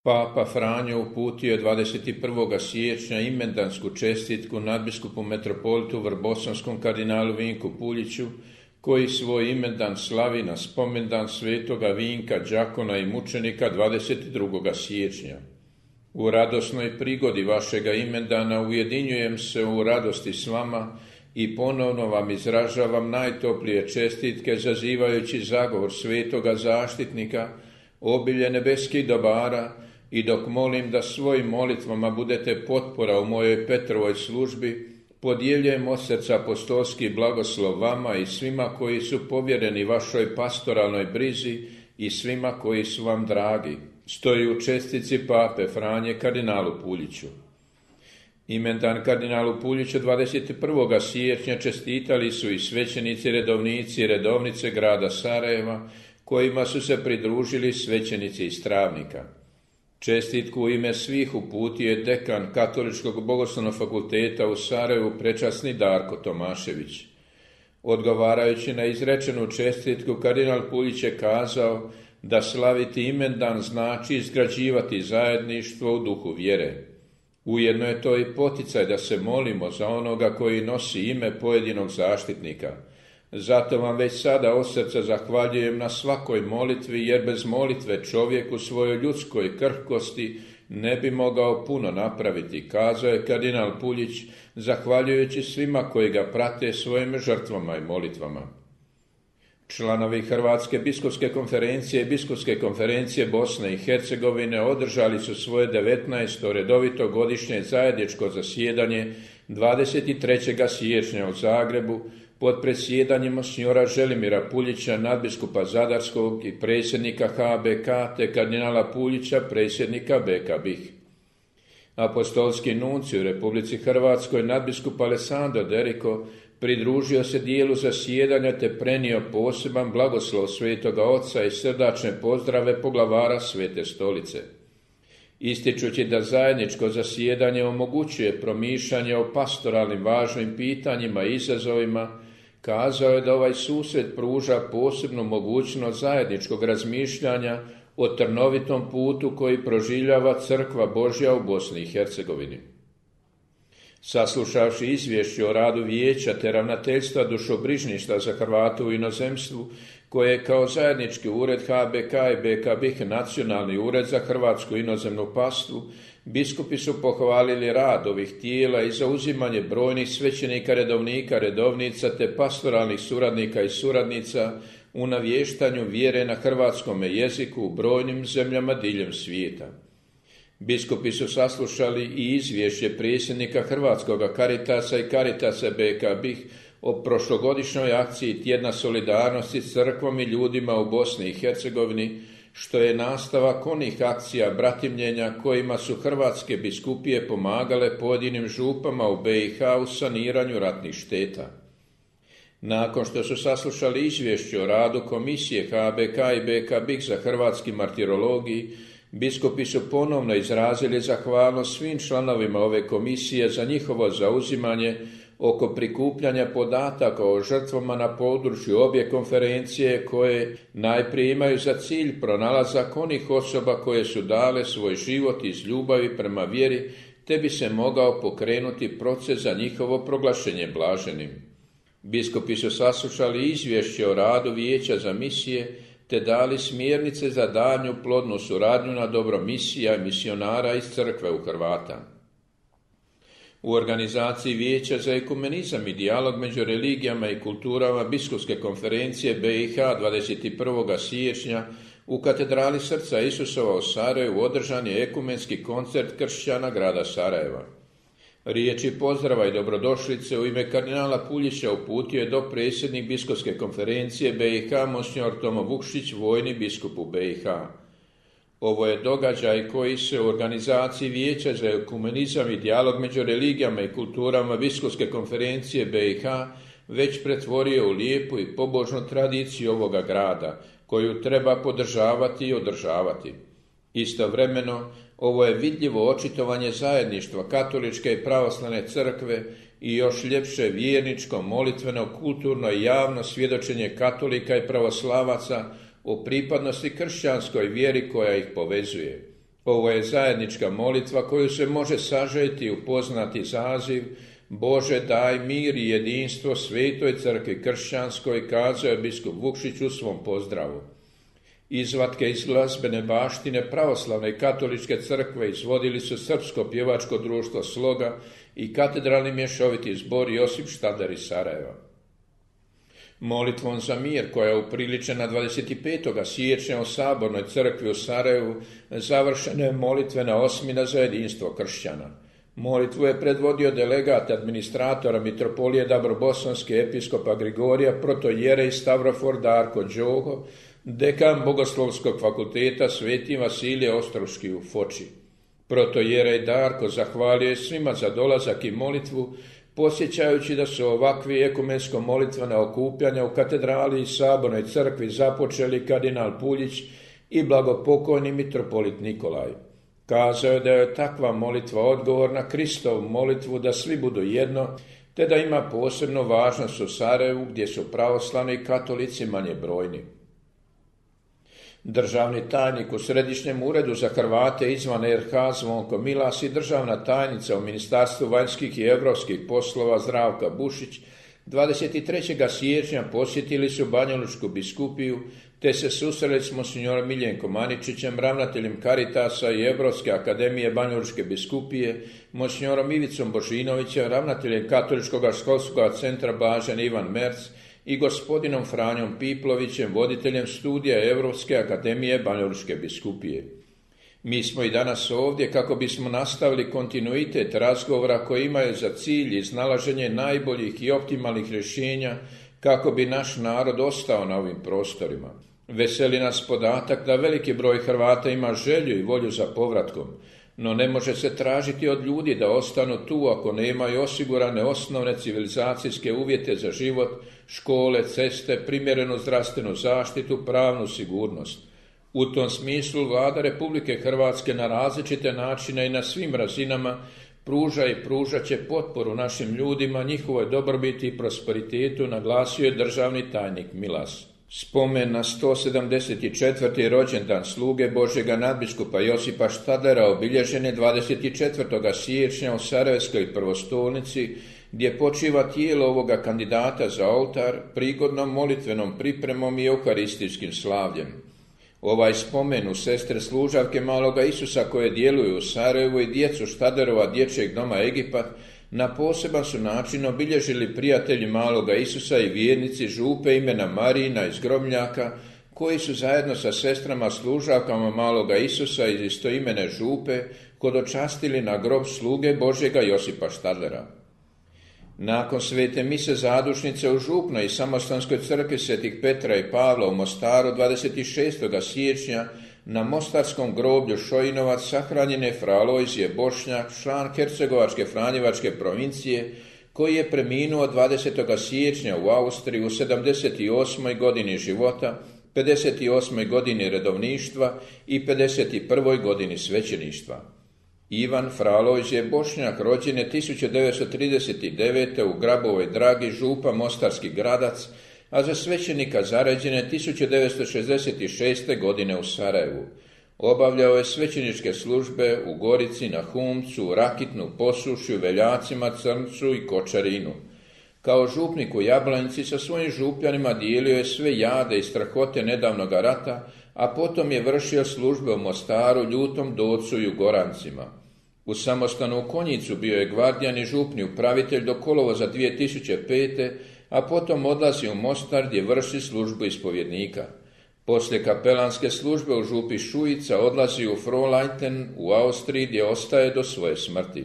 Papa Franjo uputio je 21. siječnja imendansku čestitku nadbiskupu metropolitu vrbosanskom kardinalu Vinku Puljiću, koji svoj imendan slavi na spomendan svetoga Vinka, đakona i mučenika 22. siječnja. U radosnoj prigodi vašega imendana ujedinjujem se u radosti s vama i ponovno vam izražavam najtoplije čestitke, zazivajući zagovor svetoga zaštitnika, obilje nebeskih dobara, i dok molim da svojim molitvama budete potpora u mojoj Petrovoj službi, podjeljujem od srca apostolski blagoslov vama i svima koji su povjereni vašoj pastoralnoj brizi i svima koji su vam dragi. Stoji u čestitci Pape Franje kardinalu Puljiću. Imendan kardinalu Puljiću 21. siječnja čestitali su i svećenici, redovnici i redovnice grada Sarajeva, kojima su se pridružili svećenici iz Travnika. Čestitku u ime svih uputio je dekan Katoličkog bogoslovnog fakulteta u Sarajevu, prečasni Darko Tomašević. Odgovarajući na izrečenu čestitku, kardinal Puljić je kazao da slaviti imendan znači izgrađivati zajedništvo u duhu vjere. Ujedno je to i poticaj da se molimo za onoga koji nosi ime pojedinog zaštitnika. Zato vam već sada od srca zahvaljujem na svakoj molitvi, jer bez molitve čovjek u svojoj ljudskoj krhkosti ne bi mogao puno napraviti, kazao je kardinal Puljić, zahvaljujući svima koji ga prate svojim žrtvama i molitvama. Članovi Hrvatske biskupske konferencije i Biskupske konferencije Bosne i Hercegovine održali su svoje 19. redovito godišnje zajedničko zasjedanje 23. siječnja u Zagrebu pod predsjedanjem monsignora Želimira Puljića, nadbiskupa Zadarskog i predsjednika HBK, te kardinala Puljića, predsjednika BK BiH. Apostolski nuncij u Republici Hrvatskoj, nadbiskup Alessandro Deriko, pridružio se dijelu zasjedanja te prenio poseban blagoslov Svetoga Oca i srdačne pozdrave poglavara Svete Stolice. Ističući da zajedničko zasjedanje omogućuje promišljanje o pastoralnim važnim pitanjima i izazovima, kazao je da ovaj susret pruža posebnu mogućnost zajedničkog razmišljanja o trnovitom putu koji proživljava Crkva Božja u Bosni i Hercegovini. Saslušavši izvješće o radu vijeća te ravnateljstva dušobrižništva za Hrvate u inozemstvu, koje je kao zajednički ured HBK i BK BiH nacionalni ured za hrvatsku inozemnu pastvu, biskupi su pohvalili rad ovih tijela i zauzimanje brojnih svećenika, redovnika, redovnica te pastoralnih suradnika i suradnica u navještanju vjere na hrvatskome jeziku u brojnim zemljama diljem svijeta. Biskupi su saslušali i izvješće predsjednika Hrvatskog Caritasa i Caritasa BK BiH o prošlogodišnjoj akciji Tjedna solidarnosti s crkvom i ljudima u Bosni i Hercegovini, što je nastavak onih akcija bratimljenja kojima su hrvatske biskupije pomagale pojedinim župama u BiH u saniranju ratnih šteta. Nakon što su saslušali izvješće o radu Komisije HBK i BK BiH za hrvatski martirologiji, biskupi su ponovno izrazili zahvalnost svim članovima ove komisije za njihovo zauzimanje oko prikupljanja podataka o žrtvama na području obje konferencije, koje najprije imaju za cilj pronalazak onih osoba koje su dale svoj život iz ljubavi prema vjeri, te bi se mogao pokrenuti proces za njihovo proglašenje blaženim. Biskupi su saslušali izvješće o radu Vijeća za misije, te dali smjernice za daljnju plodnu suradnju na dobro misija i misionara iz crkve u Hrvata. U organizaciji Vijeća za ekumenizam i dijalog među religijama i kulturama Biskupske konferencije BiH 21. siječnja u katedrali Srca Isusova u Sarajevu održan je ekumenski koncert kršćana grada Sarajeva. Riječi pozdrava i dobrodošlice u ime kardinala Puljića uputio je dopredsjednik Biskupske konferencije BiH monsignor Tomo Vukšić, vojni biskup u BiH. Ovo je događaj koji se u organizaciji Vijeća za ekumenizam i dijalog među religijama i kulturama Biskupske konferencije BiH već pretvorio u lijepu i pobožnu tradiciju ovoga grada, koju treba podržavati i održavati. Istovremeno, ovo je vidljivo očitovanje zajedništva katoličke i pravoslavne crkve i još ljepše vjerničko, molitveno, kulturno i javno svjedočenje katolika i pravoslavaca o pripadnosti kršćanskoj vjeri koja ih povezuje. Ovo je zajednička molitva koju se može sažeti u poznati zaziv Bože daj mir i jedinstvo Svetoj crkvi kršćanskoj, kazao je biskup Vukšić u svom pozdravu. Izvatke iz glazbene baštine pravoslavne i katoličke crkve izvodili su Srpsko pjevačko društvo Sloga i katedralni mješoviti zbor Josip Štader iz Sarajeva. Molitvom za mir, koja je upriličena 25. siječnja u Sabornoj crkvi u Sarajevu, završena je molitvena osmina za jedinstvo kršćana. Molitvu je predvodio delegat administratora mitropolije Dabrobosanske episkopa Grigorija, protoijerej Stavrofor Darko Đogo, dekan Bogoslovskog fakulteta Sveti Vasilije Ostroški u Foči. Protoijerej Darko zahvalio je svima za dolazak i molitvu, posjećajući da su ovakvi ekumensko-molitvena okupljanja u katedrali i Sabornoj crkvi započeli kardinal Puljić i blagopokojni mitropolit Nikolaj. Kazao je da je takva molitva odgovor na Kristovu molitvu da svi budu jedno, te da ima posebnu važnost u Sarajevu gdje su pravoslavni i katolici manje brojni. Državni tajnik u Središnjem uredu za Hrvate izvan RH Zvonko Milas i državna tajnica u Ministarstvu vanjskih i europskih poslova Zdravka Bušić 23. siječnja posjetili su Banjalučku biskupiju te se susreli s monsignorom Miljenkom Aničićem, ravnateljem Caritasa i Europske akademije Banjalučke biskupije, monsignorom Ivicom Božinovićem, ravnateljem Katoličkog školskog centra Blažen Ivan Merc i gospodinom Franjom Piplovićem, voditeljem studija Europske akademije Banjalučke biskupije. Mi smo i danas ovdje kako bismo nastavili kontinuitet razgovora koji imaju za cilj iznalaženje najboljih i optimalnih rješenja kako bi naš narod ostao na ovim prostorima. Veseli nas podatak da veliki broj Hrvata ima želju i volju za povratkom, no ne može se tražiti od ljudi da ostanu tu ako nemaju osigurane osnovne civilizacijske uvjete za život, škole, ceste, primjerenu zdravstvenu zaštitu, pravnu sigurnost. U tom smislu Vlada Republike Hrvatske na različite načine i na svim razinama pruža i pružat će potporu našim ljudima, njihovoj dobrobiti i prosperitetu, naglasio je državni tajnik Milas. Spomen na 174. rođendan sluge Božjega nadbiskupa Josipa Štadera obilježen je 24. siječnja u Sarajevskoj prvostolnici, gdje počiva tijelo ovoga kandidata za oltar prigodnom molitvenom pripremom i euharistijskim slavljem. Ovaj spomen u sestre služavke Maloga Isusa koje djeluju u Sarajevu i djecu Štaderova dječjeg doma Egipat na poseban su način obilježili prijatelji Maloga Isusa i vjernici župe imena Marijina iz Gromljaka, koji su zajedno sa sestrama služavkama Maloga Isusa iz istoimene župe hodočastili na grob sluge Božjega Josipa Štadera. Nakon svete mise zadušnice u župnoj i samostanskoj crkvi Svetih Petra i Pavla u Mostaru 26. siječnja na mostarskom groblju Šojinovac sahranjen je fra Alojzije Bošnjak, član Hercegovačke Franjevačke provincije, koji je preminuo 20. siječnja u Austriji u 78. godini života, 58. godini redovništva i 51. godini svećeništva. Ivan fra Alojzije Bošnjak rođen je 1939. u Grabovoj Dragi, župa Mostarski Gradac, a za svećenika zaređen je 1966. godine u Sarajevu. Obavljao je svećeničke službe u Gorici, na Humcu, Rakitnu, Posušju, Veljacima, Crncu i Kočarinu. Kao župnik u Jablanici sa svojim župljanima dijelio je sve jade i strahote nedavnog rata, a potom je vršio službe u Mostaru, Ljutom Docu i u Gorancima. U samostanu u Konjicu bio je gvardijan i župni upravitelj do kolovoza 2005. a potom odlazi u Mostar gdje vrši službu ispovjednika. Poslije kapelanske službe u župi Šujica odlazi u Frohnleiten u Austriji gdje ostaje do svoje smrti.